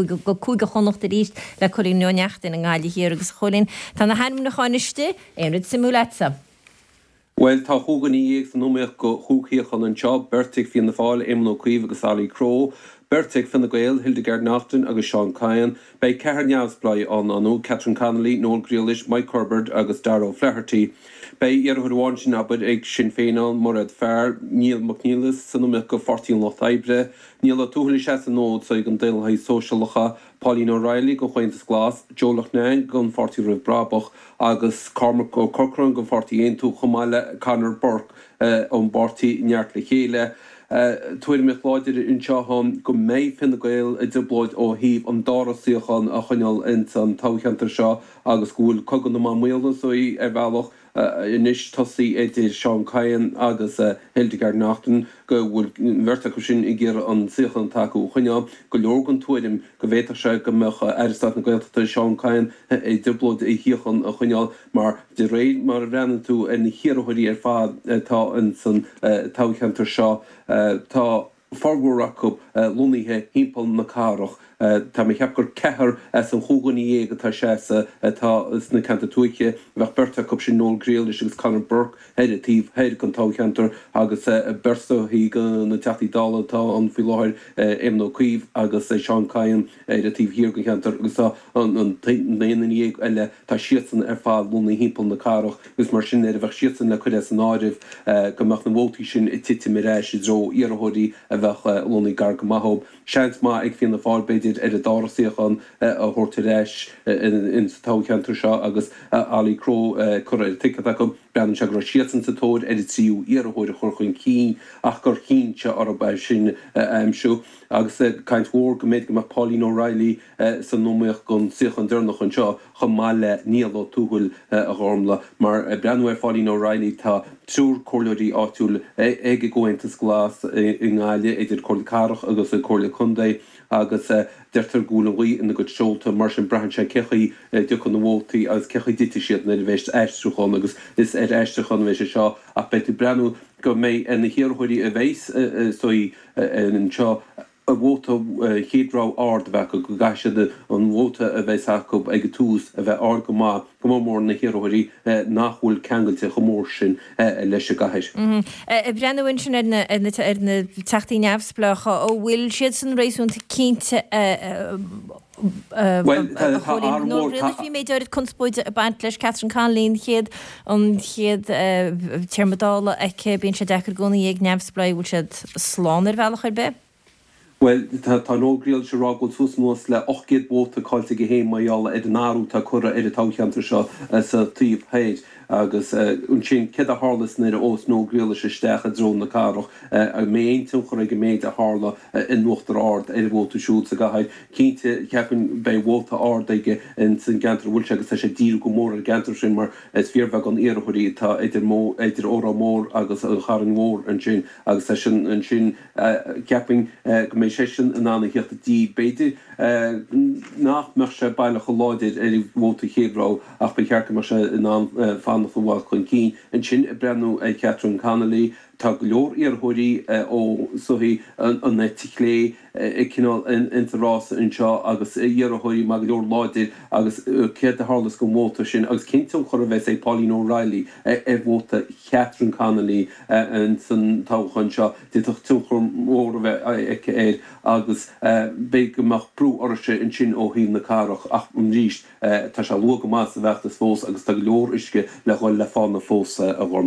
Go Cúige Chonnacht arís le Cóilín Ó Neachtain i nGaillimh Thiar agus a Chóilín, tá na hainmniúcháin istigh, aon rud suimiúil agatsa? Bhuel, tá 15 dhuine san iomaíocht do chúig shuíochán anseo, beirt ag Fianna Fáil, Éamon Ó Cuív agus Ollie Crowe, beirt ag Fine Gael, Hildegarde Naughton agus Seán Kyne. Beidh ceathrar neamhspleách ann, ar ndóigh, Catherine Connolly, Noel Grealish, Mike Herbert agus Darragh O'Flaherty. Beidh iarrthóir amháin sin, abair, ag Sinn Féin ann, Mairéad Farrell, Niall Mac Niallais san iomaíocht do Pháirtí an Lucht Oibre, Niall Ó Tuathail ag seasamh an fhóid so ag an Daonlathaithe Sóisialacha, Pauline O'Reilly don Chomhaontas Glas, Joe Loughnane don Pháirtí Roimh Brabach agus Cormac Ó Corcráin don Pháirtí Aontú chomh maith le Conor Burke ón bpáirtí Neart le Chéile. Tuairimíocht láidir anseo ann go mbeidh Fine Gael i dtrioblóid ó thaobh an dara suíochán a choinneáil ins an toghcheantar seo agus go bhfuil cogadh na mban maola so ar bhealach anois tosaithe idir Seán Kyne agus Hildegarde Naughton go bhfuil an bheirt acu sin ag iarraidh an suíochán atá acu a choinneáil. Go leor den tuairim go bhféadfadh sé go mbeadh Aire Stáit na Gaeltachta Seán Kyne i dtrioblóid a shuíochán a choinneáil mar de réir mar a bhreathnaíonn tú ar na hiarrthóirí ar fad atá ins an toghcheantar seo tá formhór acu lonnaithe thimpeall na cathrach. Tá mé ag ceapadh gur ceathrar as an chúig dhuine dhéag atá ag seasamh atá sna ceantair tuaithe. Bheadh beirt acu sin, Noel Grealish agus Conor Burke, ar an taobh thoir den toghcheantar agus beirt de na Teachtaí Dála atá ann faoi láthair, Éamon Ó Cuív agus Seán Kyne, ar an taobh thiar den cheantar agus tá an t-aon duine dhéag eile, tá siadsan ar fad lonnaithe thimpeall na cathrach agus mar sin nuair a bheadh siadsan le cur as an áireamh go mbeadh na vótaí sin ag titim ar ais i dtreo iarrthóirí a bheadh lonnaithe gar go maith dóibh. Seans maith ag Fianna Fáil b'fhéidir ar an dara suíochán a thabhairt ar ais insa toghcheantar seo agus Ollie Crowe curtha ar an ticéad acu. Breathnaíonn sé go raibh siadsan sa tóir ar an tríú iarrthóir a chur chun cinn ach gur chinn sé orthu é sin a aimsiú. Agus caint mhór go mb'fhéidir go mbeadh Pauline O'Reilly san iomaíocht don suíochán deireanach anseo chomh maith le Niall Ó Tuathail, a Ghormlaith. Mar ag breathnú ar Pháuline O'Reilly tá triúr comhairleoirí áitiúil ag an gComhaontas Glas i nGaillimh, idir Comhairle Cathrach agus an Comhairle Contae, agus deirtear go bhfuil an ghaoth ina gcuid seolta. Mar sin braitheann sé cé chaoi a dtiocfaidh na vótaí agus cé chaoi a dtitfidh siad nuair a bheas aistriúchán agus is ar aistriúchán a bheidh sé seo ach beidh tú ag breathnú go mbeidh ar na hiarrthóirí a bheas suí anseo a vóta chéad rogha ard a bheith acu, go gcaithfidh siad an vóta a bheas acu ag an tús a bheith ard go maith, go mór mór na hiarrthóirí nach bhfuil ceangailte chomh mór sin leis an gcathair. Ag breathnú ansin ar na ar na teachtaí neamhspleácha, an bhfuil siadsan réasúnta cinnte Bhuel, tá a Chóilín, athrú Noel mór, Grealish, bhí méid áirid conspóide ag baint leis, Catherine Connolly an chéad an chéad téarma Dála aici, bíonn sé deacair i gcónaí ag neamhspleáigh, bhfuil siad slán ar bhealach ar bith? Bhuel, tá tá Noel Grealish ag rá go bhfuil suas anuas le 800 vóta caillte aige féin mar gheall ar an athrú atá curtha ar an toghcheantar seo sa taobh thoir. Agus ansin, céard a tharlas nuair a ghabhfas Noel Grealish isteach i dtreo na cathrach? An mbeidh aon tionchar ag an méid a tharla in Uachtar Ard ar an vóta siúd sa gcathair? Cinnte, cheapfainn, beidh vóta ard aige ins an gceantar a bhfuil sé agus tá sé ag díriú go mór ar an gceantar sin mar is fíorbheagán iarrthóirí atá idir idir Órán Mór agus an Charn Mhór ansin agus tá sin ansin cheapfainn go mbeidh seisean in ann a theacht i dtír. B'fhéidir nach mbeadh sé baileach chomh láidir ar an vóta chéad rogha ach ba cheart go mbeadh sé in ann fanacht i bhfad chun cinn. Ansin, ag breathnú ar Catherine Connolly, tá go leor iarrthóirí ó sochaí an eite chlé ag cineál ins an rás anseo agus iarrthóirí maith go leor láidir agus céard a tharlós don vóta sin agus cén tionchar a bheas ag Pauline O'Reilly ar vóta Catherine Connolly ins an toghchán seo. D'fhéadfadh tionchar mór a bheith aici air agus b'fhéidir go mbeadh brú uirthise ansin ó thaobh na cathrach ach arís tá sé luath go maith sa bhfeachtas fós agus tá go leor uisce le dhul le fána fós, a Ghormlaith.